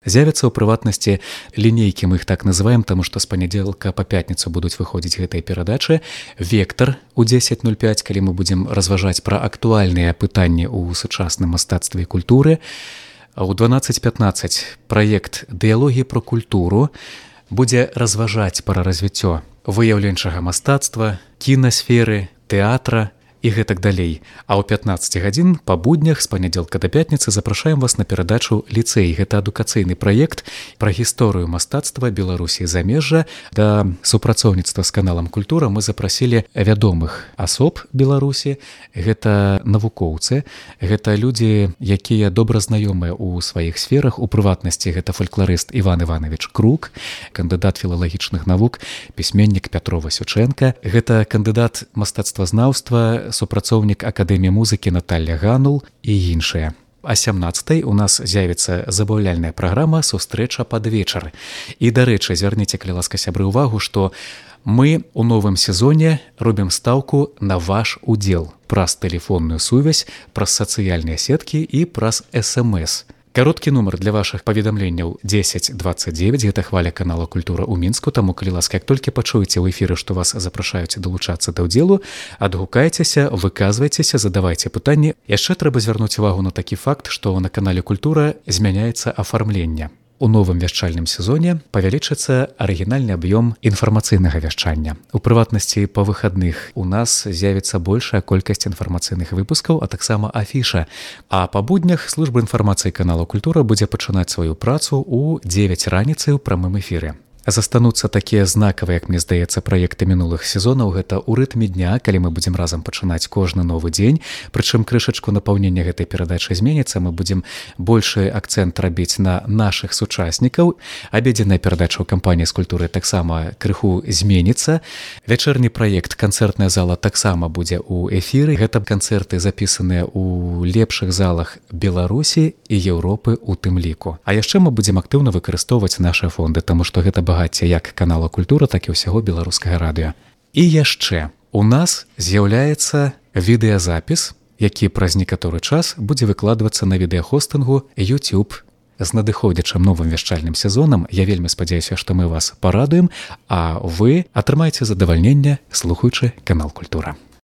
з'явяцца ў прыватнасці лінейкі, мы іх так называем, таму што з панядзелка па пятніцу будуць выходзіць гэтыя перадачы. Вектар у 10:05, калі мы будзем разважаць пра актуальныя пытанні ў сучасным мастацтве і культуры. У 12:15 праект «Дыялогі пра культуру» будзе разважаць пра развіццё выяўленчага мастацтва, кінасферы, тэатра і гэтак далей. А ў 15 гадзін па буднях з панядзелка да пятніцы запрашаем вас на перадачу «Ліцэй». Гэта адукацыйны праект пра гісторыю мастацтва Беларусі і замежжа. Да супрацоўніцтва з каналам «Культура» мы запрасілі вядомых асоб Беларусі. Гэта навукоўцы, гэта людзі, якія добра знаёмыя ў сваіх сферах. У прыватнасці гэта фалькларыст Іван Іванович Крук, кандыдат філалагічных навук, пісьменнік Пятро Васючэнка. Гэта кандыдат мастацтвазнаўства, супрацоўнік Акадэміі музыкі Наталля Ганул і іншыя. А 17-й у нас з'явіцца забаўляльная праграма «Сустрэча пад вечар». І, дарэчы, звярніце, калі ласка, сябры, увагу, што мы ў новым сезоне робім стаўку на ваш удзел праз тэлефонную сувязь, праз сацыяльныя сеткі і праз СМС. Кароткі нумар для вашых паведамленняў 1029, гэта хваля канала «Культура» ў Мінску, таму, калі ласка, як толькі пачуеце ў эфіры, што вас запрашаюць далучацца да ўдзелу, адгукайцеся, выказвайцеся, задавайце пытанні. Яшчэ трэба звярнуць увагу на такі факт, што на канале «Культура» змяняецца афармленне. У новым вяшчальным сезоне павялічыцца арыгінальны аб'ём інфармацыйнага вяшчання. У прыватнасці па выхадных у нас з'явіцца большая колькасць інфармацыйных выпускаў, а таксама афіша. А па буднях служба інфармацыі канала «Культура» будзе пачынаць сваю працу ў 9 раніцы ў прамым эфіры. Застануцца такія знакавыя, як мне здаецца, праекты мінулых сезонаў. Гэта ў рытме дня, калі мы будзем разам пачынаць кожны новы дзень. Прычым крышачку напаўнення гэтай перадачы зменіцца. Мы будзем большы акцэнт рабіць на нашых сучаснікаў. Абедзенная перадача ў кампаніі з культуры таксама крыху зменіцца. Вячэрні праект «Канцэртная зала» таксама будзе ў эфіры. Гэта канцэрты запісаныя ў лепшых залах Беларусі і Еўропы ў тым ліку. А яшчэ мы будзем актыўна выкарыстоўваць нашы фонды, таму што гэта багацце як канала «Культура», так і ўсяго беларускага радыё. І яшчэ у нас з'яўляецца відэазапіс, які праз некаторы час будзе выкладвацца на відэахостынгу YouTube. З надыходзячым новым вяшчальным сезонам я вельмі спадзяюся, што мы вас парадуем, а вы атрымаеце задавальненне, слухаючы канал «Культура».